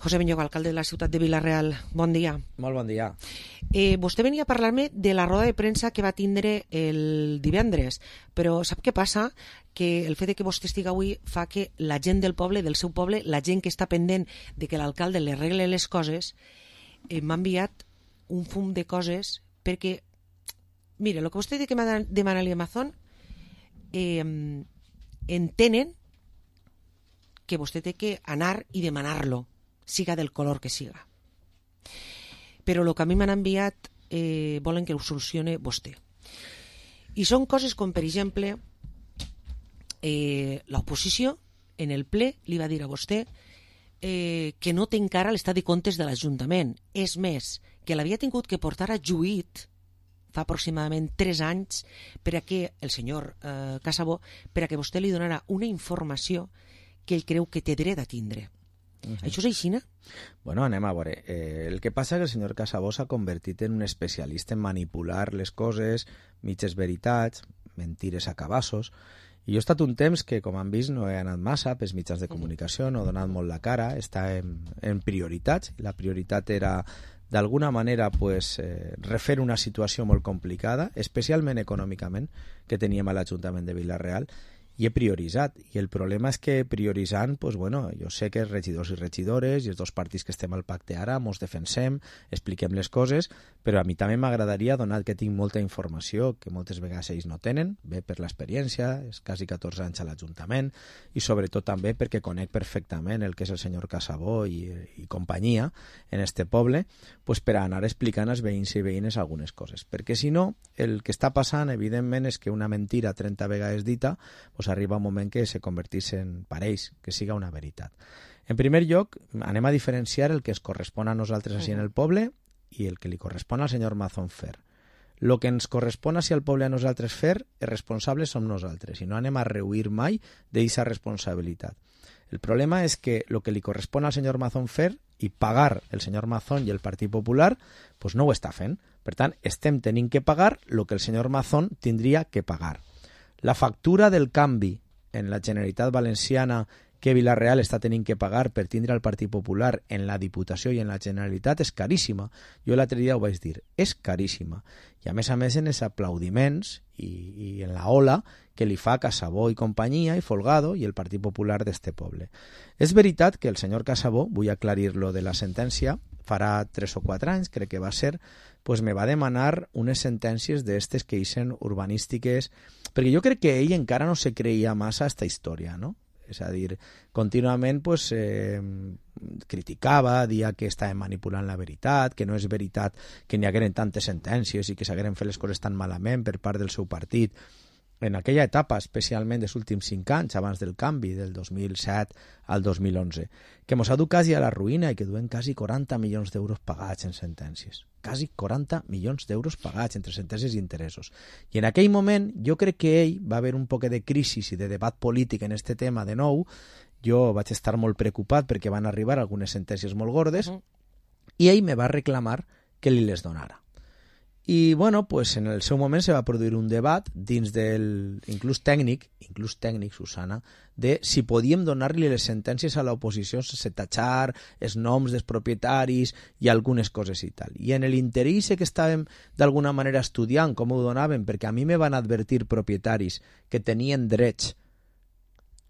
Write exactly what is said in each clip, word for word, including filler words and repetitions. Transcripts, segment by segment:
José Beñoc, alcalde de la ciutat de Vila-real, bon dia. Molt bon dia. Eh, vostè venia a parlar-me de la roda de premsa que va tindre el divendres, però sap què passa? Que el fet de que vostè estigui avui fa que la gent del poble, del seu poble, la gent que està pendent de que l'alcalde li arregle les coses, eh, m'ha enviat un fum de coses perquè, mire, el que vostè diu que m'ha demanat l'Amazon, eh, entenen que vostè té que anar i demanar-lo, siga del color que siga. Però el que a mi m'han enviat eh, volen que ho solucione vostè. I són coses com, per exemple, eh, l'oposició en el ple li va dir a vostè eh, que no té encara l'estat de comptes de l'Ajuntament. És més, que l'havia tingut que portar a juït fa aproximadament tres anys per a que el senyor eh, Casabó, per a que vostè li donara una informació que ell creu que té dret a tindre. Uh-huh. Això és així, no? Bueno, anem a veure. Eh, el que passa és que el senyor Casabó s'ha convertit en un especialista en manipular les coses, mitges veritats, mentires a cabassos, i jo he estat un temps que, com han vist, no he anat massa pels mitjans de comunicació, no he donat molt la cara, està en, en prioritats. La prioritat era, d'alguna manera, pues, eh, refer una situació molt complicada, especialment econòmicament, que teníem a l'Ajuntament de Vila-real, i he prioritzat, i el problema és que prioritzant, pues bueno, jo sé que els regidors i regidores i els dos partits que estem al pacte ara mos defensem, expliquem les coses, però a mi també m'agradaria, donat que tinc molta informació que moltes vegades ells no tenen, bé per l'experiència, és quasi catorze anys a l'Ajuntament, i sobretot també perquè conec perfectament el que és el senyor Casabó i, i companyia en este poble, pues per anar explicant als veïns i veïnes algunes coses, perquè si no, el que està passant evidentment és que una mentira trenta vegades dita pues arriba un moment que se convertís en pareix, que siga una veritat. En primer lloc, anem a diferenciar el que es correspon a nosaltres així en el poble i el que li correspon al senyor Mazón fer. El que ens correspon així al poble a nosaltres fer, els responsables som nosaltres, i no anem a rehuir mai d'aquesta responsabilitat. El problema és que el que li correspon al senyor Mazón fer i pagar el senyor Mazón i el Partit Popular, pues no ho està fent. Per tant, estem tenint que pagar el que el senyor Mazón tindria que pagar. La factura del canvi en la Generalitat Valenciana que Vila-real està tenint que pagar per tindre el Partit Popular en la Diputació i en la Generalitat és caríssima. Jo l'altre dia ho vaig dir, és caríssima. I a més a més en els aplaudiments i, i en la ola que li fa Casabó i companyia i Folgado i el Partit Popular d'este poble. És veritat que el senyor Casabó, vull aclarir-lo de la sentència, farà tres o quatre anys, crec que va ser, pues me va demanar unes sentències d'estes que eixen urbanístiques, perquè jo crec que ell encara no se creia massa esta història, no? És a dir, contínuament pues, eh, criticava, dia que estàvem manipulant la veritat, que no és veritat que n'hi hagueren tantes sentències i que s'hagueren fet les coses tan malament per part del seu partit. En aquella etapa, especialment dels últims cinc anys, abans del canvi, del dos mil set al dos mil onze, que mos ha dut quasi a la ruïna i que duen quasi quaranta milions d'euros pagats en sentències. Quasi quaranta milions d'euros pagats entre sentències i interessos. I en aquell moment, jo crec que ell va haver un poc de crisi i de debat polític en este tema de nou. Jo vaig estar molt preocupat perquè van arribar algunes sentències molt gordes uh-huh. i ell me va reclamar que li les donara. I, bueno, pues en el seu moment se va produir un debat dins del, inclús tècnic, inclús tècnic, Susana, de si podíem donar-li les sentències a l'oposició sense tatxar els noms dels propietaris i algunes coses i tal. I en l'interès que estàvem d'alguna manera estudiant com ho donaven, perquè a mi me van advertir propietaris que tenien drets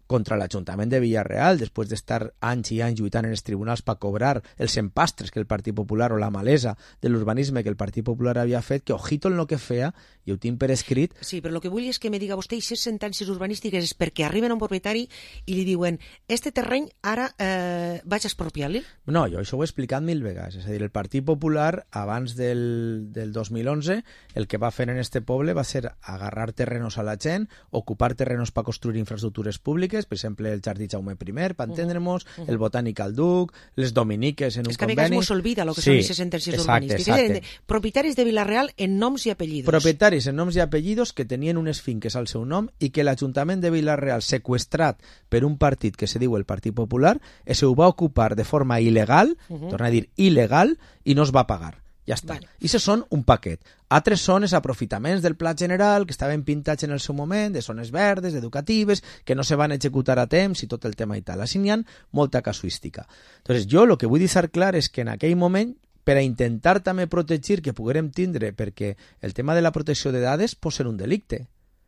contra l'Ajuntament de Vila-real, després d'estar anys i anys lluitant en els tribunals per cobrar els empastres que el Partit Popular o la malesa de l'urbanisme que el Partit Popular havia fet, que ojito en lo que feia, i ho tinc per escrit. Sí, però el que vull és que me diga vostè si les sentències urbanístiques és perquè arriben a un propietari i li diuen este terreny ara eh, vaig a expropiar-li? No, jo això ho he explicat mil vegades. És a dir, el Partit Popular, abans del, del dos mil onze, el que va fer en este poble va ser agarrar terrenos a la gent, ocupar terrenos per construir infraestructures públiques, per exemple, el Jardí Jaume primer, per entendre'ns, uh -huh. el Botànic al Duc, les Dominiques en un conveni... És que a vegades mos olvida el que sí, són aquestes sentències exacte, urbanístiques. Exacte. Propietaris de Vila-real en noms i apellidos. Propietaris en noms i apellidos que tenien unes finques al seu nom i que l'Ajuntament de Vila-real, seqüestrat per un partit que se diu el Partit Popular, se ho va ocupar de forma il·legal, uh -huh. torna a dir il·legal, i no es va pagar. Ja està. Vale. I se són un paquet. Altres són els aprofitaments del pla general que estaven pintats en el seu moment, de zones verdes, educatives, que no se van executar a temps i tot el tema i tal. Així n'hi ha molta casuística. Entonces, jo el que vull deixar clar és que en aquell moment, per a intentar també protegir que poguérem tindre, perquè el tema de la protecció de dades pot ser un delicte.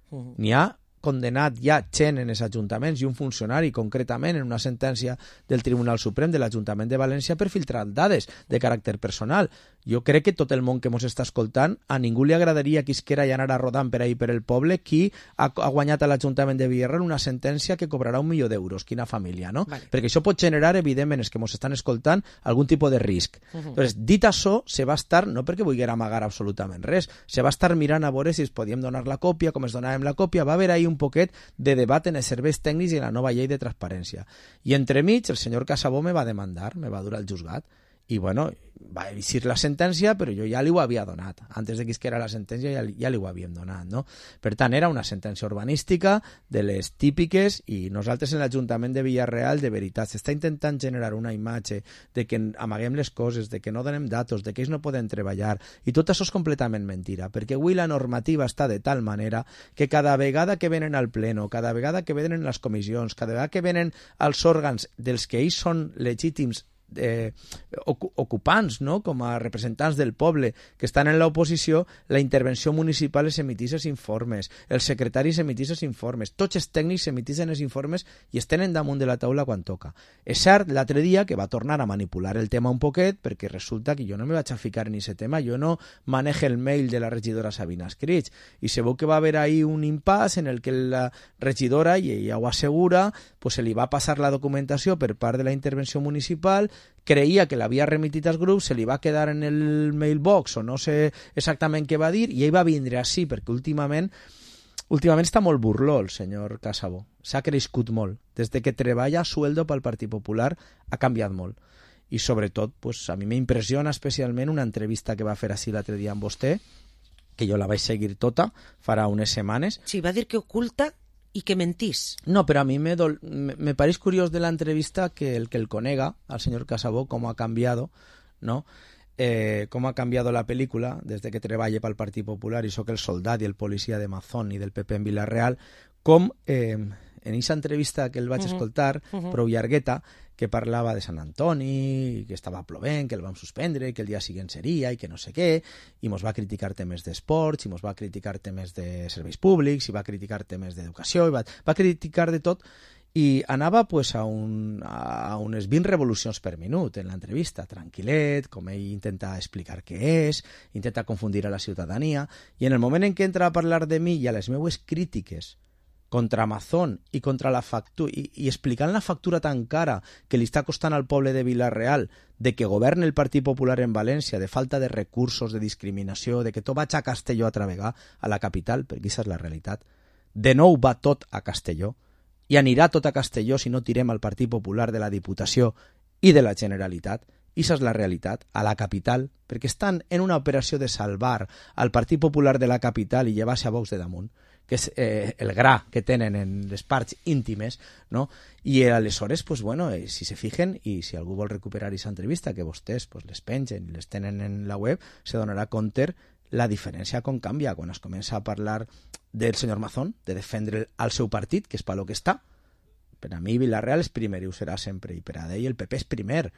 Uh-huh. N'hi ha condenat ja gent en els ajuntaments i un funcionari concretament en una sentència del Tribunal Suprem de l'Ajuntament de València per filtrar dades de caràcter personal. Jo crec que tot el món que ens està escoltant, a ningú li agradaria que isquera i anara rodant per ahir per el poble qui ha, ha guanyat a l'Ajuntament de Villarreal una sentència que cobrarà un milió d'euros. Quina família, no? Vale. Perquè això pot generar, evidentment, els que ens estan escoltant, algun tipus de risc. Uh -huh. Entonces, dit això, se va estar, no perquè vulguera amagar absolutament res, se va estar mirant a veure si es podíem donar la còpia, com es donàvem la còpia, va haver ahir un poquet de debat en els serveis tècnics i en la nova llei de transparència. I entremig, el senyor Casabó me va demandar, me va dur al juzgat, i bueno, va eixir la sentència, però jo ja li ho havia donat. Antes de que isquera la sentència ja, ja li ho havíem donat, no? Per tant, era una sentència urbanística de les típiques i nosaltres en l'Ajuntament de Villarreal, de veritat, s'està intentant generar una imatge de que amaguem les coses, de que no donem datos, de que ells no poden treballar, i tot això és completament mentira, perquè avui la normativa està de tal manera que cada vegada que venen al pleno, cada vegada que venen les comissions, cada vegada que venen als òrgans dels que ells són legítims Eh, ocupants, no? Com a representants del poble que estan en l'oposició, la intervenció municipal es emitís els informes, els secretaris emitís els informes, tots els tècnics emitixen els informes i es tenen damunt de la taula quan toca. És cert, l'altre dia que va tornar a manipular el tema un poquet, perquè resulta que jo no me vaig a ficar en aquest tema, jo no manejo el mail de la regidora Sabina Escrits, i se veu que va haver ahí un impàs en el que la regidora, i ella ho assegura, pues se li va passar la documentació per part de la intervenció municipal, creia que l'havia remitit als grups, se li va quedar en el mailbox o no sé exactament què va dir, i ell va vindre així, perquè últimament últimament està molt burló el senyor Casabó, s'ha crescut molt, des de que treballa a sueldo pel Partit Popular ha canviat molt, i sobretot pues, a mi m'impressiona especialment una entrevista que va fer així l'altre dia amb vostè, que jo la vaig seguir tota farà unes setmanes. Sí, va dir que oculta y que mentís. No, pero a mí me, dol, me, me parece curioso de la entrevista que el que el conega, al señor Casabó, cómo ha cambiado, ¿no? Eh, cómo ha cambiado la película desde que treballa pel Partit Popular i soc el soldat i el policia de Mazón i del P P en Villarreal, com eh, en aquesta entrevista que el vaig uh -huh. escoltar, uh -huh. prou llargueta, que parlava de Sant Antoni, que estava plovent, que el vam suspendre, que el dia següent seria i que no sé què, i mos va criticar temes d'esports, i mos va criticar temes de serveis públics, i va criticar temes d'educació, i va, va criticar de tot, i anava pues, a, un, a unes vint revolucions per minut en l'entrevista, tranquil·let, com ell intenta explicar què és, intenta confundir a la ciutadania, i en el moment en què entra a parlar de mi i a les meues crítiques contra Amazon i contra la factura i, i explicant la factura tan cara que li està costant al poble de Vila-real de que governa el Partit Popular en València, de falta de recursos, de discriminació, de que tot vaig a Castelló a travegar, a la capital, perquè aquesta és la realitat. De nou va tot a Castelló i anirà tot a Castelló si no tirem al Partit Popular de la Diputació i de la Generalitat. I això és la realitat, a la capital, perquè estan en una operació de salvar al Partit Popular de la capital i llevar-se a Vox de damunt, que és eh, el gra que tenen en les parts íntimes, no? I aleshores, pues, bueno, eh, si se fijen, i si algú vol recuperar aquesta entrevista, que vostès pues, les pengen i les tenen en la web, se donarà compte la diferència com canvia quan es comença a parlar del senyor Mazón, de defendre el seu partit, que és per lo que està. Per a mi Vila-real és primer i ho serà sempre, i per a ell el P P és primer,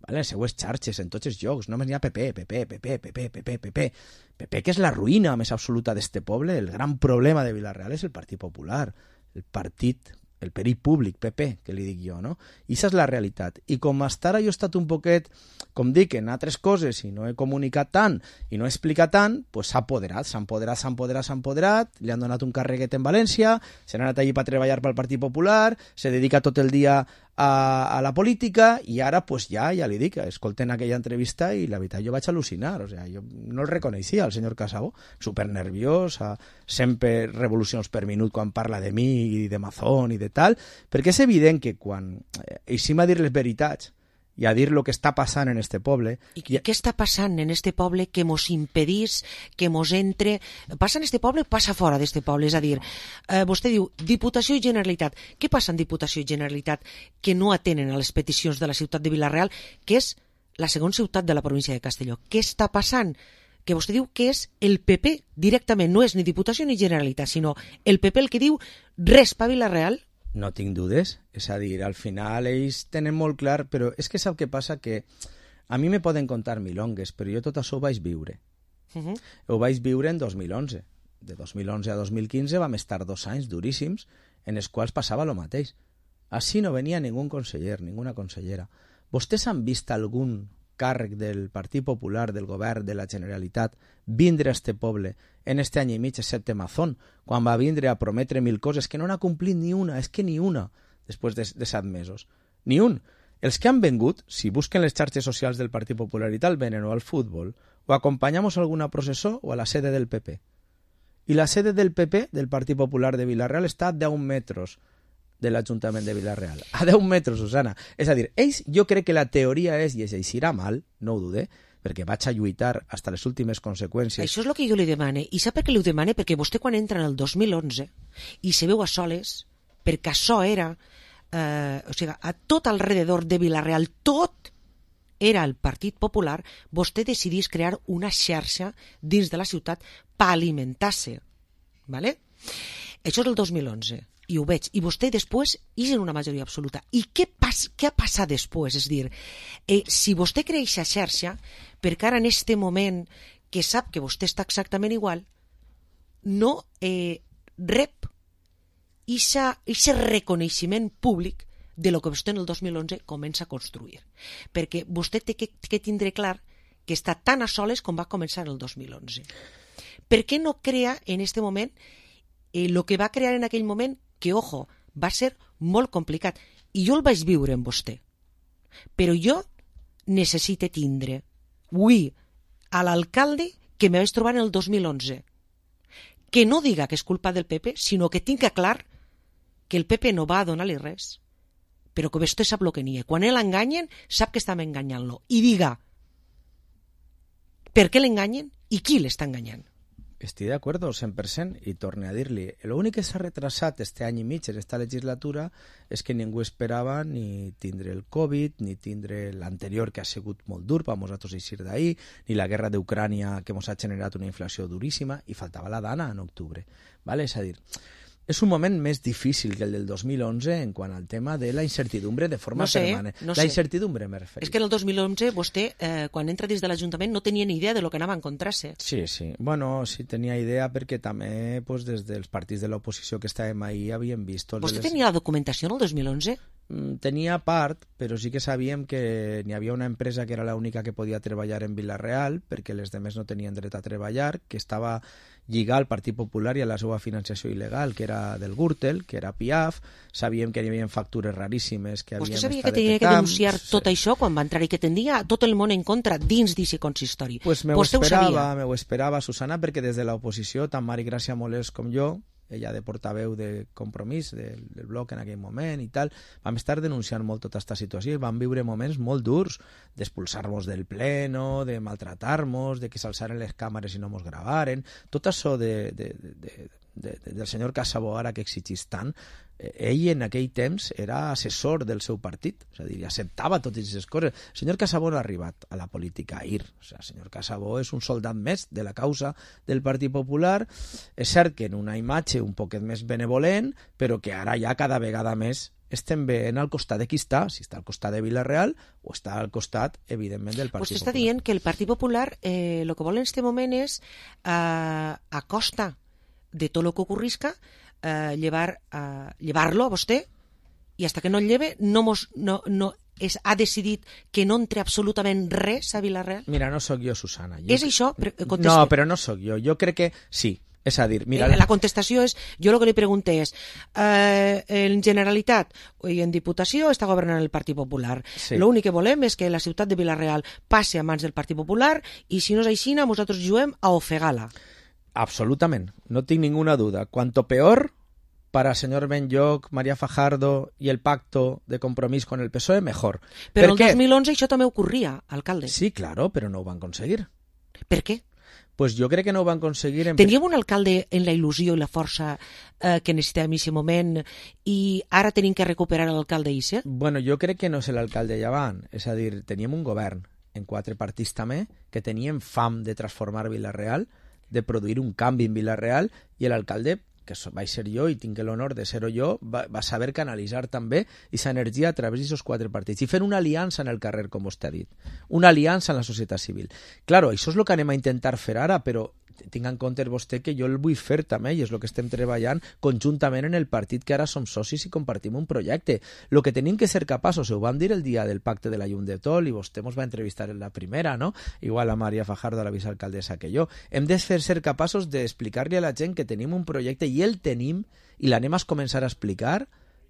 vale? Les seues xarxes, en tots els jocs, només n'hi ha P P, P P, P P, P P, P P, P P, P P, que és la ruïna més absoluta d'este poble. El gran problema de Vila-real és el Partit Popular, el partit, el perill públic, P P, que li dic jo, no? I això és la realitat. I com hasta ara jo he estat un poquet, com dic, en altres coses, i no he comunicat tant, i no he explicat tant, pues s'ha apoderat, s'ha empoderat, s'ha empoderat, s'ha empoderat, li han donat un carreguet en València, se n'ha anat allí per treballar pel Partit Popular, se dedica tot el dia a, a la política, i ara, pues ja, ja li dic, escolten aquella entrevista i la veritat jo vaig al·lucinar, o sea, jo no el reconeixia, el senyor Casabó, super nerviós, sempre revolucions per minut quan parla de mi i de Mazón i de tal, perquè és evident que quan eh, eixim a dir les veritats i a dir el que està passant en este poble... I què, què està passant en este poble que mos impedís, que mos entre... Passa en este poble, passa fora d'este poble, és a dir, eh, vostè diu Diputació i Generalitat. Què passa en Diputació i Generalitat que no atenen a les peticions de la ciutat de Vila-real, que és la segona ciutat de la província de Castelló. Què està passant? Que vostè diu que és el P P directament, no és ni Diputació ni Generalitat, sinó el P P el que diu res pa Vila-real. No tinc dudes, és a dir, al final ells tenen molt clar, però és que sap què passa? Que a mi me poden contar milongues, però jo tot això ho vaig viure. Uh -huh. Ho vaig viure en dos mil onze. De dos mil onze a dos mil quinze vam estar dos anys duríssims en els quals passava el mateix. Així no venia ningú conseller, ninguna consellera. Vostès han vist algun càrrec del Partit Popular, del govern, de la Generalitat, vindre a este poble en este any i mig, excepte Mazón, quan va vindre a prometre mil coses que no n'ha complit ni una, és que ni una, després de, de set mesos. Ni un. Els que han vengut, si busquen les xarxes socials del Partit Popular i tal, venen o al futbol, o acompanyamos a alguna processó o a la sede del P P. I la sede del P P, del Partit Popular de Vila-real, està a deu metres de l'Ajuntament de Vila-real. A deu metres, Susana. És a dir, ells, jo crec que la teoria és, i es eixirà mal, no ho dude, perquè vaig a lluitar fins a les últimes conseqüències. Això és el que jo li demane. I sap per què li ho demane? Perquè vostè quan entra en el dos mil onze i se veu a soles, perquè això era, eh, o sigui, a tot alrededor de Vila-real, tot era el Partit Popular, vostè decidís crear una xarxa dins de la ciutat per alimentar-se. ¿Vale? Això és el dos mil onze. I ho veig. I vostè després és en una majoria absoluta. I què, pas, què ha passat després? És a dir, eh, si vostè crea aquesta xarxa, perquè ara en este moment que sap que vostè està exactament igual, no eh, rep aquest reconeixement públic de lo que vostè en el dos mil onze comença a construir. Perquè vostè té que, que tindre clar que està tan a soles com va començar el dos mil onze. Per què no crea en este moment eh, lo que va crear en aquell moment, que, ojo, va ser molt complicat. I jo el vaig viure amb vostè. Però jo necessite tindre, avui, a l'alcalde que me vaig trobar en el dos mil onze. Que no diga que és culpa del P P, sinó que tinga clar que el P P no va a donar-li res, però que vostè sap el que n'hi ha. Quan l'enganyen, sap que estan enganyant-lo. I diga per què l'enganyen i qui l'està enganyant. Estic d'acord cent per cent i torne a dir-li, l'únic que s'ha retrasat este any i mig en esta legislatura és que ningú esperava ni tindre el Covid, ni tindre l'anterior que ha sigut molt dur per nosaltres eixir d'ahir, ni la guerra d'Ucrània que ens ha generat una inflació duríssima, i faltava la Dana en octubre. Vale? És a dir, és un moment més difícil que el del dos mil onze en quant al tema de la incertidumbre de forma no sé, permanent. No la sé. incertidumbre me refereixo. És que en el dos mil onze vostè, eh, quan entra dins de l'Ajuntament, no tenia ni idea de lo que anava a encontrar-se. Sí, sí. Bueno, sí tenia idea perquè també pues, des dels partits de l'oposició que estàvem ahir havíem vist... Vostè les... tenia la documentació en el dos mil onze? Tenia part, però sí que sabíem que n'hi havia una empresa que era l'única que podia treballar en Vila-real, perquè les demés no tenien dret a treballar, que estava lligat al Partit Popular i a la seva financiació il·legal, que era del Gürtel, que era Piaf. Sabíem que hi havia factures raríssimes que havien Vostè sabia estat que tenia que detectant. denunciar Sí. tot això quan va entrar i que tenia tot el món en contra dins d'aquest consistori? Pues me ho Vostè ho sabia? esperava, me ho esperava, Susana, perquè des de l'oposició, tant Mari Gràcia Molés com jo, ella de portaveu de Compromís del, del bloc en aquell moment i tal, vam estar denunciant molt tota aquesta situació i vam viure moments molt durs d'expulsar-nos del pleno, de maltratar-nos, de que s'alçaren les càmeres i no mos gravaren, tot això de, de, de, de, de, de, del senyor Casabó ara que exigís tant. Ell en aquell temps era assessor del seu partit, és a dir, acceptava totes aquestes coses. El senyor Casabó no ha arribat a la política ahir, o sigui, el senyor Casabó és un soldat més de la causa del Partit Popular. És cert que en una imatge un poquet més benevolent, però que ara ja cada vegada més estem veient al costat de qui està, si està al costat de Vila-real o està al costat, evidentment, del Partit Vostè està Popular. dient que el Partit Popular eh, el que vol en aquest moment és, eh, a costa de tot el que ocorrisca, eh, llevar, eh, llevar-lo a vostè, i hasta que no el lleve no, mos, no, no és, ha decidit que no entre absolutament res a Vila-real. Mira, no sóc jo, Susana. Jo És que... això? Conteste. No, però no sóc jo. Jo crec que sí. És a dir, mira... Eh, la contestació és, jo el que li pregunté és, eh, en Generalitat i en Diputació està governant el Partit Popular. Sí. L'únic que volem és que la ciutat de Vila-real passi a mans del Partit Popular i si no és així, nosaltres juguem a ofegar-la. Absolutament, no tinc ninguna duda. Cuanto peor para señor Benlloch, María Fajardo y el pacto de Compromís con el P S O E, mejor. Però ¿Per el qué? dos mil onze això també ocorria, alcalde. Sí, claro, pero no ho van conseguir. Per què? Pues jo crec que no ho van conseguir... En... Teníem un alcalde en la il·lusió i la força eh, que necessitàvem en aquest moment i ara tenim que recuperar l'alcalde Isse? Bueno, jo crec que no és l'alcalde Llevant, és a dir, teníem un govern en quatre partits també, que tenien fam de transformar Vila-real, de produir un canvi en Vila-real, i l'alcalde, que vaig ser jo i tinc l'honor de ser-ho jo, va, va saber canalitzar també aquesta energia a través d'aquests quatre partits i fer una aliança en el carrer, com vostè ha dit, una aliança en la societat civil. Claro, això és el que anem a intentar fer ara, però tinc en compte vostè que jo el vull fer també, i és el que estem treballant conjuntament en el partit que ara som socis i compartim un projecte. El que tenim que ser capaços, ho vam dir el dia del pacte de la Llum de Tol, i vostè ens va entrevistar en la primera, no? Igual a Maria Fajardo, la vicealcaldessa, que jo. Hem de fer ser capaços d'explicar-li a la gent que tenim un projecte, i el tenim, i l'anem a començar a explicar,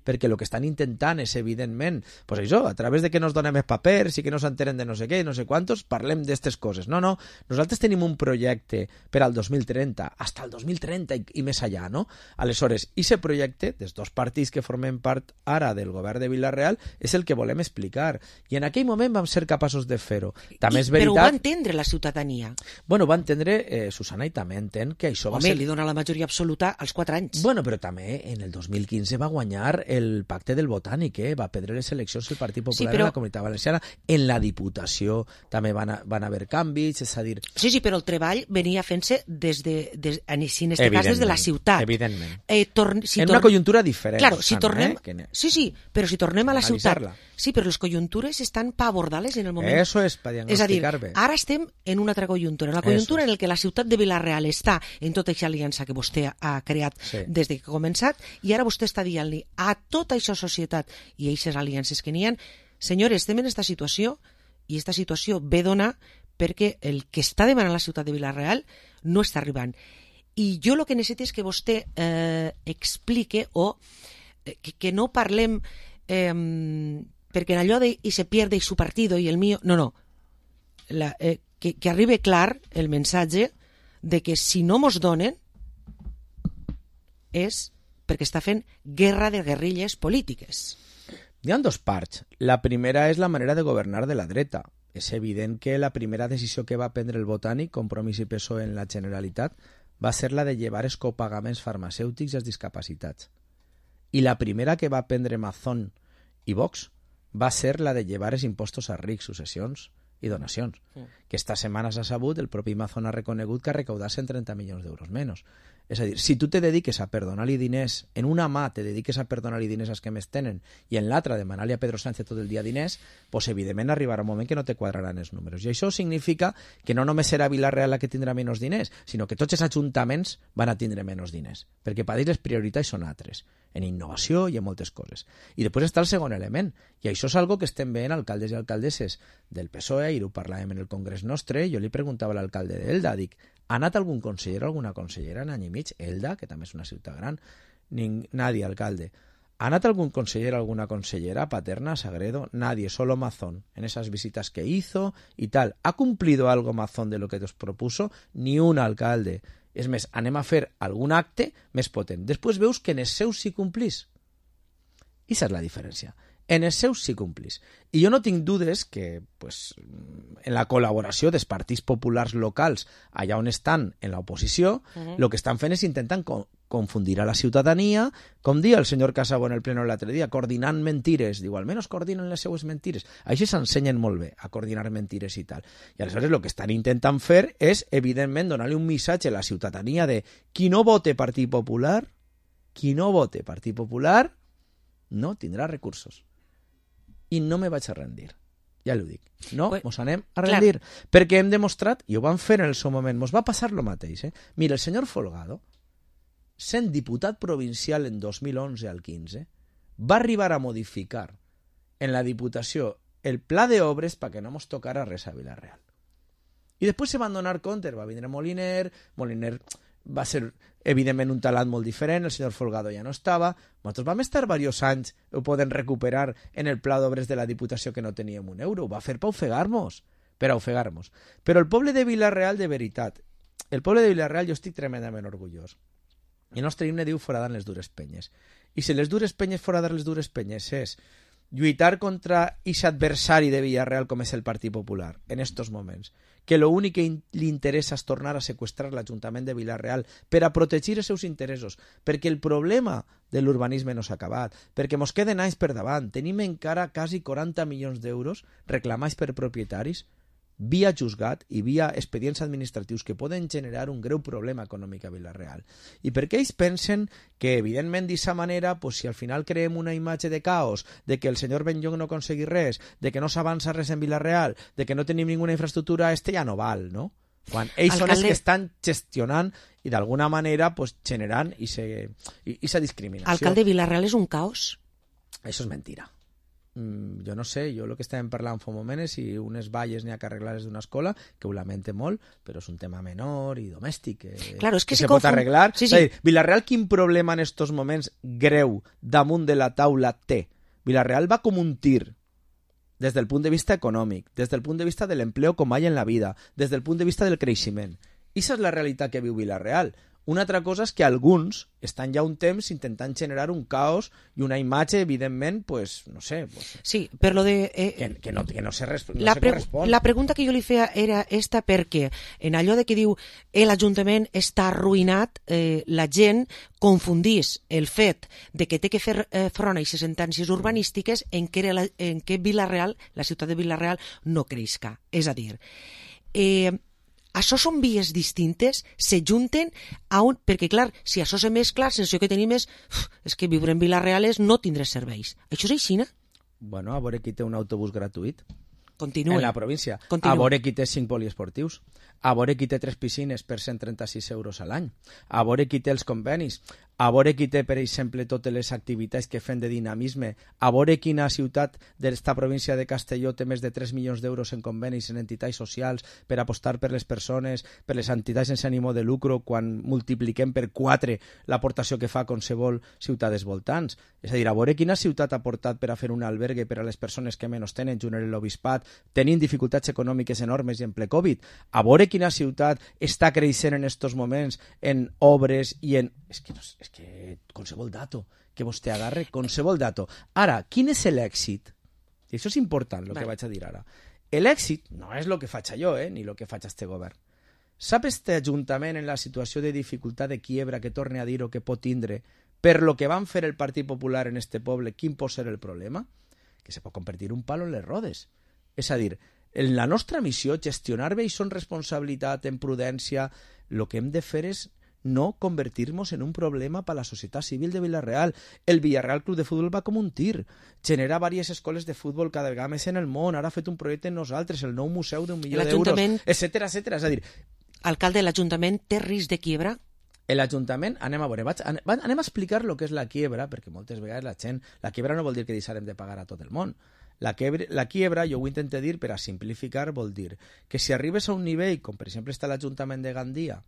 perquè el que estan intentant és, evidentment, pues això, a través de que nos donem els papers i que no s'enteren de no sé què, no sé quantos, parlem d'aquestes coses. No, no, nosaltres tenim un projecte per al dos mil trenta, hasta el dos mil trenta i, i més allà, no? Aleshores, aquest projecte, dels dos partits que formem part ara del govern de Vila-real, és el que volem explicar. I en aquell moment vam ser capaços de fer-ho. També és veritat... Però ho va entendre la ciutadania. Bueno, va entendre, eh, Susana, i també entén que això Home, va ser... li dona la majoria absoluta als quatre anys. Bueno, però també en el dos mil quinze va guanyar el pacte del Botànic, eh? Va perdre les eleccions el Partit Popular, sí, però... en la Comunitat Valenciana. En la Diputació també van, a, van haver canvis, és a dir... Sí, sí, però el treball venia fent-se des de, des, en aquest cas des de la ciutat. Evidentment. Eh, torn... si en tor... una conjuntura diferent. Claro, si Susana, tornem... eh? Que... Sí, sí, però si tornem a la ciutat... Sí, però les conjuntures estan per abordar-les en el moment. Eso es, per diagnosticar bé. És a dir, ara estem en una altra conjuntura, en la conjuntura Eso en el que la ciutat de Vila-real està en tota aquesta aliança que vostè ha creat sí. des de que ha començat, i ara vostè està dient-li a tota aquesta societat i aquestes aliances que n'hi ha, senyores, estem en aquesta situació, i aquesta situació ve donar perquè el que està demanant la ciutat de Vila-real no està arribant. I jo el que necessito és que vostè eh, explique o eh, que, que no parlem eh, perquè en allò de i se pierde i su partido i el mío, no, no, la, eh, que, que arribi clar el missatge de que si no mos donen és perquè està fent guerra de guerrilles polítiques. Hi ha dos parts. La primera és la manera de governar de la dreta. És evident que la primera decisió que va prendre el Botànic, Compromís i P S O E en la Generalitat, va ser la de llevar els copagaments farmacèutics als discapacitats. I la primera que va prendre Mazón i Vox va ser la de llevar els impostos a rics, successions i donacions. Mm. Que esta setmana s'ha sabut, el propi Mazón ha reconegut que ha recaudat cent trenta milions d'euros menys. És a dir, si tu te dediques a perdonar-li diners, en una mà te dediques a perdonar-li diners als que més tenen i en l'altra demanar-li a Pedro Sánchez tot el dia diners, doncs evidentment arribarà un moment que no te quadraran els números. I això significa que no només serà Vila-real la que tindrà menys diners, sinó que tots els ajuntaments van a tindre menys diners, perquè per ells les prioritats són altres, en innovació i en moltes coses. I després està el segon element, i això és algo que estem veient alcaldes i alcaldesses del P S O E, i ho parlàvem en el congrés nostre, jo li preguntava a l'alcalde d'Elda, dic, ha anat algun conseller o alguna consellera en any i mig? Elda, que també és una ciutat gran, Ning, nadie, alcalde. ¿Ha anat algún conseller o alguna consellera paterna, Sagredo? Nadie, solo Mazón, en esas visitas que hizo y tal. ¿Ha cumplido algo Mazón de lo que os propuso? Ni un alcalde. És més, anem a fer algun acte més potent. Després veus que en els seus sí complís. I aquesta és la diferència. En els seus sí complís. I jo no tinc dudes que pues, en la col·laboració dels partits populars locals allà on estan en l'oposició, el uh-huh. que estan fent és intentant co- confundir a la ciutadania, com dia el senyor Casabó en el pleno l'altre dia, coordinant mentires. Diu, almenys coordinen les seues mentires. Així s'ensenyen molt bé, a coordinar mentires i tal. I aleshores el que estan intentant fer és, evidentment, donar-li un missatge a la ciutadania de qui no vote Partit Popular, qui no vote Partit Popular, no tindrà recursos. I no me vaig a rendir. Ja l'ho dic. No, pues, mos anem a rendir. Clar. Perquè hem demostrat, i ho van fer en el seu moment, mos va passar lo mateix. Eh? Mira, el senyor Folgado, sent diputat provincial en dos mil onze al quinze, va arribar a modificar en la Diputació el pla d'obres perquè no mos tocara res a Vila-real. I després se van donar compte, va vindre Moliner, Moliner va ser evidentment un talant molt diferent, el senyor Folgado ja no estava, nosaltres vam estar diversos anys, ho poden recuperar en el pla d'obres de la Diputació que no teníem un euro, ho va fer per ofegar-nos, per ofegar-nos. Però el poble de Vila-real, de veritat, el poble de Vila-real jo estic tremendament orgullós. El nostre himne diu foradant les dures penyes. I si les dures penyes foradar les dures penyes és lluitar contra aquest adversari de Villarreal com és el Partit Popular en estos moments, que lo únic que li interessa és tornar a seqüestrar l'Ajuntament de Vila-real per a protegir els seus interessos, perquè el problema de l'urbanisme no s'ha acabat, perquè mos queden anys per davant, tenim encara quasi quaranta milions d'euros reclamats per propietaris via juzgat i via expedients administratius que poden generar un greu problema econòmic a Vila-real. I perquè ells pensen que, evidentment, d'aquesta manera, pues, si al final creem una imatge de caos, de que el senyor Benlloch no aconseguir res, de que no s'avança res en Vila-real, de que no tenim ninguna infraestructura, este ja no val, no? Quan ells Alcalde... són els que estan gestionant i d'alguna manera pues, generant aquesta discriminació. Alcalde, Vila-real és un caos? Això és mentira. Mm, jo no sé, jo el que estàvem parlant fa un moment és si unes valles n'hi ha que arreglar-les d'una escola, que ho lamente molt, però és un tema menor i domèstic, que, claro, es que, que se, se pot arreglar. Sí, sí. És a dir, Vila-real quin problema en estos moments greu damunt de la taula té? Vila-real va com un tir des del punt de vista econòmic, des del punt de vista de l'empleo com mai en la vida, des del punt de vista del creixement. I aquesta és la realitat que viu Vila-real. Una altra cosa és que alguns estan ja un temps intentant generar un caos i una imatge, evidentment, pues, no sé... Pues, sí, per lo de... Eh, que, que, no, que no se, no la se pre correspon. La pregunta que jo li feia era esta perquè en allò de que diu l'Ajuntament està arruïnat, eh, la gent confundís el fet de que té que fer eh, front a aquestes sentències urbanístiques en què, la, en què Vila-real, la ciutat de Vila-real, no creixca. És a dir... Eh, això són vies distintes, se junten a un... Perquè, clar, si això se mescla, la sensació que tenim és, uf, és que viure en Vila-real és no tindre serveis. Això és així, no? Bueno, a veure qui té un autobús gratuït. Continua. En la província. Continua. A veure qui té cinc poliesportius. A veure qui té tres piscines per cent trenta-sis euros a l'any. A veure qui té els convenis. A veure qui té, per exemple, totes les activitats que fem de dinamisme. A veure quina ciutat d'esta província de Castelló té més de tres milions d'euros en convenis en entitats socials per apostar per les persones, per les entitats sense ànimo de lucro, quan multipliquem per quatre l'aportació que fa qualsevol ciutat dels voltants. És a dir, a veure quina ciutat ha portat per a fer un albergue per a les persones que menys tenen, junt amb l'obispat, tenint dificultats econòmiques enormes i en ple Covid. A veure quina ciutat està creixent en estos moments en obres i en... És que, no, és que qualsevol dato que vostè agarre, qualsevol dato. Ara, quin és l'èxit? I això és important, el que vaig a dir ara. L'èxit no és el que faig jo, eh, ni el que faig este govern. Sap este ajuntament en la situació de dificultat de quiebra que torne a dir o que pot tindre per lo que van fer el Partit Popular en este poble, quin pot ser el problema? Que se pot convertir un palo en les rodes. És a dir, en la nostra missió, gestionar bé i són responsabilitat, en prudència, el que hem de fer és no convertir-nos en un problema per a la societat civil de Vila-real. El Villarreal Club de Futbol va com un tir. Genera diverses escoles de futbol cada vegada més en el món. Ara ha fet un projecte en nosaltres, el nou museu d'un milió d'euros, etcètera, etcètera. És a dir... Alcalde, l'Ajuntament té risc de quiebra? L'Ajuntament, anem a veure, vaig, anem a explicar el que és la quiebra, perquè moltes vegades la gent... La quiebra no vol dir que deixarem de pagar a tot el món. La quiebra, la quiebra, jo ho intento dir per a simplificar, vol dir que si arribes a un nivell, com per exemple està l'Ajuntament de Gandia,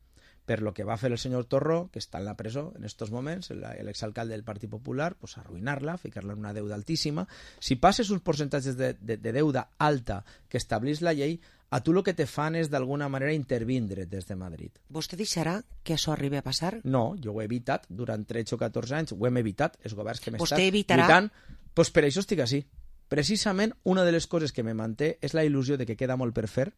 per lo que va fer el senyor Torró, que està en la presó en estos moments, l'exalcalde del Partit Popular, pues arruïnar-la, ficar-la en una deuda altíssima. Si passes uns percentatges de, de, de deuda alta que establís la llei, a tu el que te fan és d'alguna manera intervindre des de Madrid. Vostè deixarà que això arribi a passar? No, jo ho he evitat durant tretze o catorze anys, ho hem evitat, els governs que m'he estat evitarà... lluitant, doncs per això estic així. Precisament una de les coses que me manté és la il·lusió de que queda molt per fer.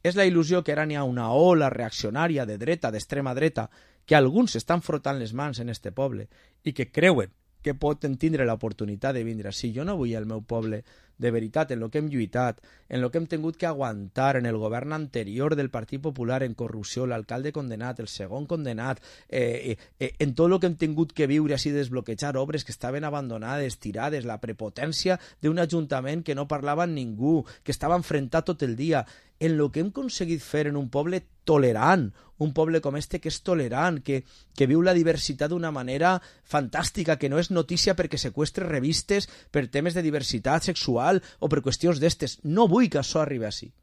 És la il·lusió que ara n'hi ha una ola reaccionària de dreta, d'extrema dreta, que alguns estan frotant les mans en este poble i que creuen que poden tindre l'oportunitat de vindre. Si jo no vull el meu poble, de veritat, en el que hem lluitat, en el que hem tingut que aguantar en el govern anterior del Partit Popular en corrupció, l'alcalde condenat, el segon condenat, eh, eh, en tot el que hem tingut que viure així, desbloquejar obres que estaven abandonades, tirades, la prepotència d'un ajuntament que no parlava amb ningú, que estava enfrontat tot el dia, en el que hem aconseguit fer en un poble tolerant, un poble com este que és tolerant, que, que viu la diversitat d'una manera fantàstica, que no és notícia perquè seqüestre revistes per temes de diversitat sexual o per qüestions d'estes. No vull que això arribi així.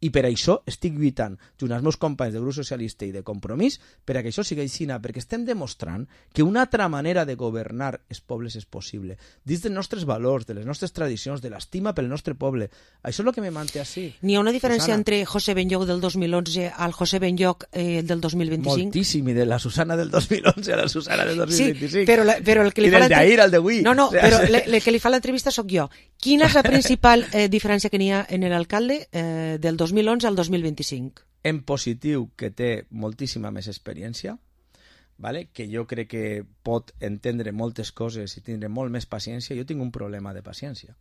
I per això estic lluitant, junt als meus companys del grup socialista i de Compromís, per a que això sigui així, perquè estem demostrant que una altra manera de governar els pobles és possible, dins dels nostres valors, de les nostres tradicions, de l'estima pel nostre poble. Això és el que me manté així. N'hi ha una diferència Susana. Entre José Benlloch del dos mil onze al José Benlloch eh, del dos mil vint-i-cinc? Moltíssim, i de la Susana del dos mil onze a la Susana del dos mil vint-i-cinc. Sí, però, la, però el que li I fa del d'ahir al d'avui. No, no, o sea, però le, le que li fa l'entrevista sóc jo. Quina és la principal eh, diferència que n'hi ha en l'alcalde eh, del dos mil onze al dos mil vint-i-cinc? En positiu, que té moltíssima més experiència, vale? Que jo crec que pot entendre moltes coses i tindre molt més paciència. Jo tinc un problema de paciència,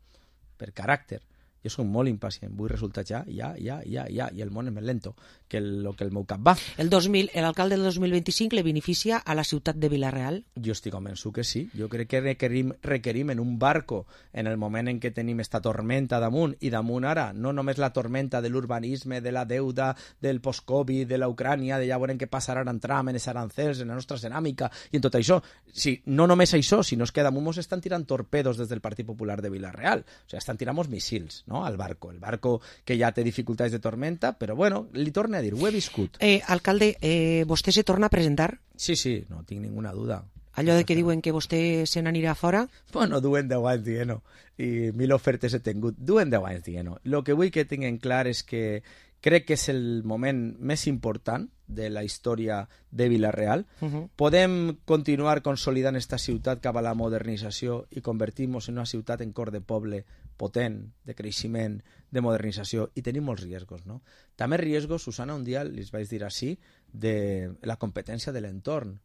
per caràcter. Jo soc molt impacient, vull resultats ja, ja, ja, ja, ja, i el món és més lento que el, lo que el meu cap va. El dos mil, l'alcalde del dos mil vint-i-cinc le beneficia a la ciutat de Vila-real? Jo estic convençut que sí. Jo crec que requerim, requerim en un barco, en el moment en què tenim esta tormenta damunt, i damunt ara, no només la tormenta de l'urbanisme, de la deuda, del post-Covid, de la Ucrània, de ja veurem què passarà en tram, en els arancels, en la nostra ceràmica, i en tot això. Sí, no només això, sinó és que damunt mos estan tirant torpedos des del Partit Popular de Vila-real. O sigui, estan tirant missils, no?, al barco. El barco que ja té dificultats de tormenta, però bueno, li torne a dir, ho he viscut. Eh, alcalde, eh, vostè se torna a presentar? Sí, sí, no tinc ninguna duda. Allò de que diuen que vostè se n'anirà fora? Bueno, duen deu anys dient-ho, i mil ofertes he tingut. Duen deu anys dient-ho. El que vull que tinguin clar és que crec que és el moment més important de la història de Vila-real. Uh-huh. Podem continuar consolidant esta ciutat cap a la modernització i convertir-nos en una ciutat en cor de poble potent, de creixement, de modernització, i tenim molts riesgos, no? També riesgos, Susana, un dia les vaig dir així, de la competència de l'entorn.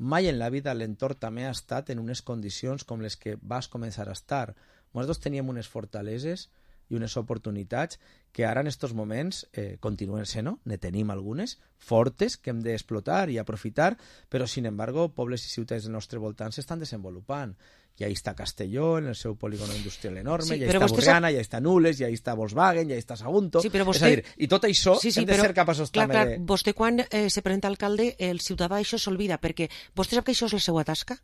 Mai en la vida l'entorn també ha estat en unes condicions com les que vas començar a estar. Nosaltres teníem unes fortaleses i unes oportunitats que ara en aquests moments eh, continuen sent, no? Ne tenim algunes fortes que hem d'explotar i aprofitar, però, sin embargo, pobles i ciutats del nostre voltant s'estan desenvolupant. I ahí està Castelló, en el seu polígono industrial enorme, sí, i ahí està Burriana, sap... i ahí està Nules, i ahí està Volkswagen, i ahí està Sagunto. Sí, però vostè... És a dir, i tot això sí, sí, hem de però... ser capaços clar, també clar, de... Vostè quan eh, se presenta alcalde, el ciutadà això s'olvida, perquè vostè sap que això és la seva tasca?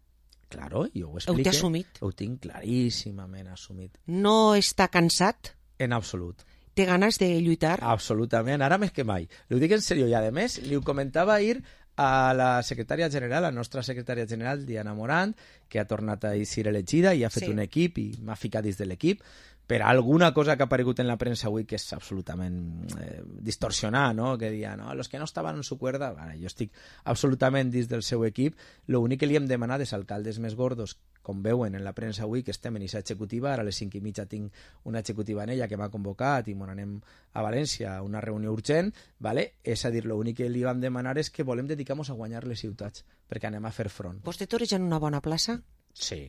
Claro, jo ho explique. Ho té assumit? Ho tinc claríssimament assumit. No està cansat? En absolut. Té ganes de lluitar? Absolutament, ara més que mai. Ho dic en sèrio, i a més, li ho comentava ahir a la secretària general, la nostra secretària general, Diana Morant, que ha tornat a ser elegida i ha fet sí. un equip i m'ha ficat dins de l'equip, per alguna cosa que ha aparegut en la premsa avui que és absolutament eh, distorsionar, no? Que dia, no, los que no estaven en su cuerda, bueno, jo estic absolutament dins del seu equip, l'únic que li hem demanat és alcaldes més gordos, com veuen en la premsa avui, que estem en aquesta executiva, ara a les cinc i mitja tinc una executiva en ella que m'ha convocat i m'on anem a València a una reunió urgent, vale? És a dir, l'únic que li vam demanar és que volem dedicar-nos a guanyar les ciutats, perquè anem a fer front. Vostè toreja en una bona plaça? Sí,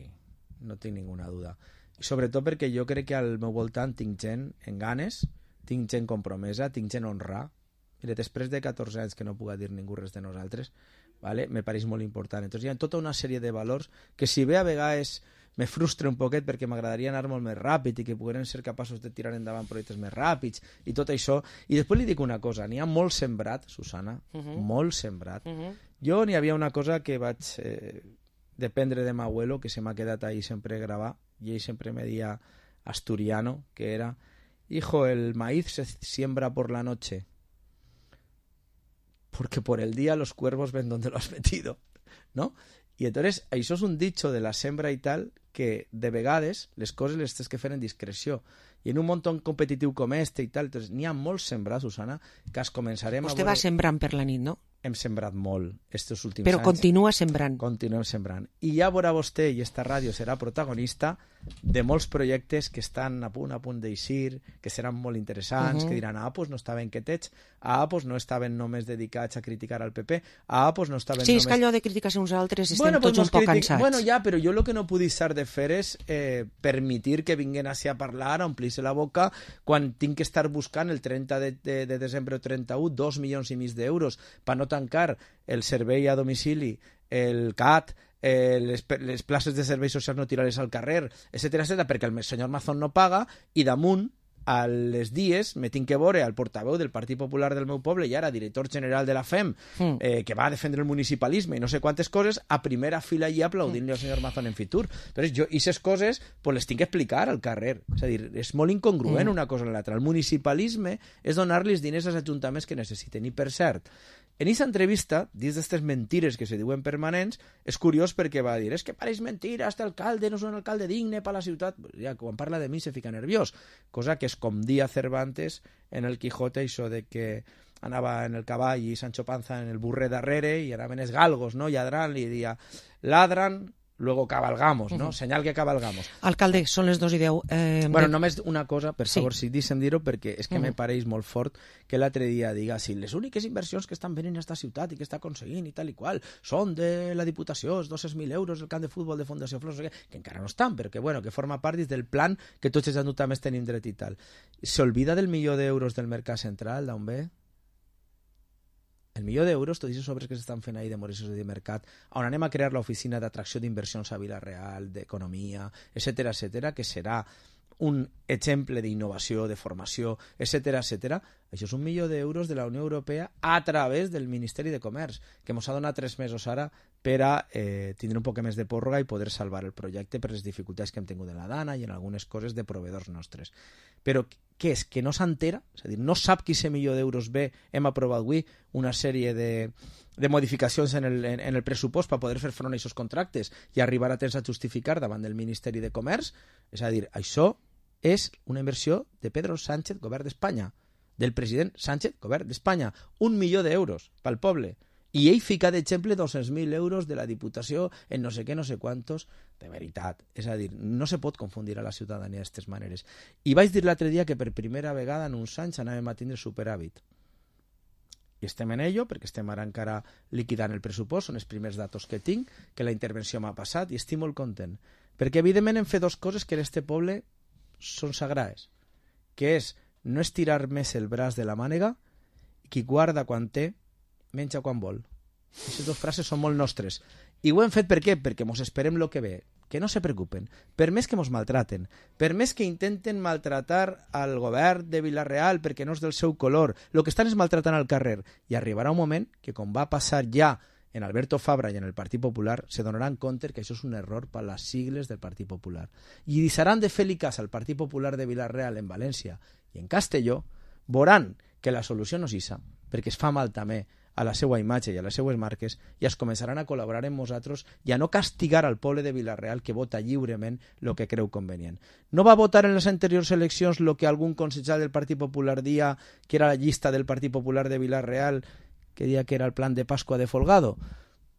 no tinc ninguna duda. I sobretot perquè jo crec que al meu voltant tinc gent en ganes, tinc gent compromesa, tinc gent honrar. Mira, després de catorze anys que no puga dir ningú res de nosaltres, vale? Me pareix molt important. Entonces hi ha tota una sèrie de valors que si bé a vegades me frustra un poquet perquè m'agradaria anar molt més ràpid i que pogueren ser capaços de tirar endavant projectes més ràpids i tot això. I després li dic una cosa, n'hi ha molt sembrat, Susana, uh-huh. molt sembrat. Uh-huh. Jo n'hi havia una cosa que vaig eh, dependre de m'abuelo, que se m'ha quedat ahí sempre gravar, y ell sempre me deia asturiano, que era, hijo, el maíz se siembra por la noche, porque por el día los cuervos ven donde lo has metido, ¿no? I entonces això és un dicho de la sembra i tal que de vegades les coses les tens que fer en discreció. I en un món tan competitiu com este i tal, n'hi ha molt sembrat, Susana, que es començarem Vostè a veure... va sembrant per la nit, no? Hem sembrat molt estos últims Però anys. Però continua sembrant. Continuem sembrant. I ja veurà vostè, i esta ràdio serà protagonista de molts projectes que estan a punt, a punt d'eixir, que seran molt interessants, uh-huh. que diran, ah, pues no estaven quietets, ah, pues no estaven només dedicats a criticar al P P, ah, pues no estaven sí, només... Sí, és que allò de criticar-se uns altres estem bueno, tots pues un poc critic... cansats. Bueno, ja, però jo el que no puc deixar de fer és eh, permitir que vinguin així a parlar, a omplir-se la boca, quan tinc que estar buscant el trenta de, de, de desembre o trenta-u dos milions i mig d'euros per no tancar el servei a domicili, el C A T, eh, les, les places de serveis socials no tirar-les al carrer, etcètera, etcètera, perquè el senyor Mazón no paga i damunt a les dies me tinc que veure al portaveu del Partit Popular del meu poble i ara director general de la F E M mm. eh, que va a defendre el municipalisme i no sé quantes coses a primera fila i aplaudint-li mm. al senyor Mazón en Fitur. Entonces jo aquestes coses pues, les tinc que explicar al carrer. És a dir, és molt incongruent mm. una cosa en l'altra. El municipalisme és donar-los diners als ajuntaments que necessiten. I per cert, en aquesta entrevista, dins d'aquestes mentires que se diuen permanents, és curiós perquè va dir, és que pareix mentira, este alcalde no és un alcalde digne per la ciutat. Ja, quan parla de mi se fica nerviós, cosa que és com dia Cervantes en el Quijote, això de que anava en el cavall i Sancho Panza en el burrer darrere i anaven els galgos, no?, lladrant, i dia, ladran luego cabalgamos, no? Uh-huh. Senyal que cabalgamos. Alcalde, són les dos i deu. Eh, bueno, de... només una cosa, per favor, sí. si deixem dir-ho, perquè és que uh-huh. me pareix molt fort que l'altre dia diga, si les úniques inversions que estan venint a esta ciutat i que està aconseguint i tal i qual són de la Diputació, els dos-cents mil euros del camp de futbol de Fundació Flors, que encara no estan, però que, bueno, que forma part del plan que tots els ajuntaments tenim dret i tal. S'olvida del milió d'euros del Mercat Central, d'on ve? El milió d'euros, tots aquests obres que s'estan fent ahir de Moresos de Mercat, on anem a crear l'oficina d'atracció d'inversions a Vila-real, d'economia, etcètera, etcètera, que serà un exemple d'innovació, de formació, etcètera, etcètera. Això és un milió d'euros de la Unió Europea a través del Ministeri de Comerç, que ens ha donat tres mesos ara per a eh, tindre un poc més de pròrroga i poder salvar el projecte per les dificultats que hem tingut en la Dana i en algunes coses de proveïdors nostres. Però què és? Que no s'entera? És a dir, no sap que aquest milió d'euros ve, hem aprovat avui una sèrie de, de modificacions en el, en, en el pressupost per poder fer front a aquests contractes i arribar a temps a justificar davant del Ministeri de Comerç? És a dir, això és una inversió de Pedro Sánchez, govern d'Espanya, del president Sánchez, govern d'Espanya. Un milió d'euros pel poble. I ell fica d'exemple dos-cents mil euros de la Diputació en no sé què, no sé quantos, de veritat. És a dir, no se pot confundir a la ciutadania d'aquestes maneres. I vaig dir l'altre dia que per primera vegada en uns anys anàvem a tindre superàvit. I estem en ello, perquè estem ara encara liquidant el pressupost, són els primers datos que tinc, que la intervenció m'ha passat, i estic molt content. Perquè evidentment hem fet dues coses que en este poble són sagrades, que és no estirar més el braç de la mànega, i qui guarda quan té, menja quan vol. Aquestes dues frases són molt nostres. I ho hem fet per què? Perquè mos esperem el que ve. Que no se preocupen. Per més que mos maltraten, per més que intenten maltratar al govern de Vila-real perquè no és del seu color, el que estan és maltratant al carrer. I arribarà un moment que, com va passar ja en Alberto Fabra i en el Partit Popular, se donaran compte que això és un error per les sigles del Partit Popular. I deixaran de fer-li cas al Partit Popular de Vila-real en València i en Castelló, veuran que la solució no és issa, perquè es fa mal també a la seva imatge i a les seues marques, i es començaran a col·laborar amb nosaltres i a no castigar al poble de Vila-real que vota lliurement el que creu convenient. No va votar en les anteriors eleccions el que algun consellal del Partit Popular dia que era la llista del Partit Popular de Vila-real, que dia que era el plan de Pasqua de Folgado?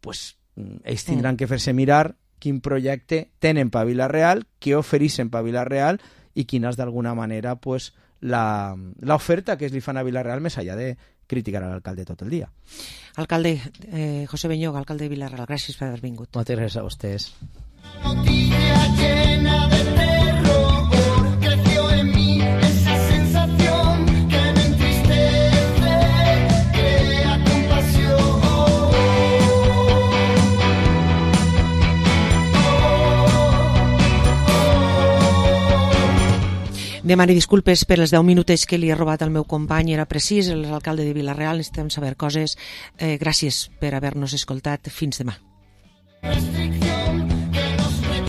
Pues ells tindran que fer-se mirar quin projecte tenen per Vila-real, què ofereixen per Vila-real i quina és d'alguna manera pues, la l'oferta que es li fan a Vila-real més allà de criticar a l'alcalde tot el dia. Alcalde, eh, José Beñoga, alcalde de Vila-real, gràcies per haver vingut. Moltes gràcies a vostès. Noticia llena de terror, creció en mí esa sensación que me entristece, crea compasión. Demani disculpes per els deu minuts que li he robat al meu company, era precís, l'alcalde de Vila-real, necessitem saber coses. Eh, gràcies per haver-nos escoltat. Fins demà.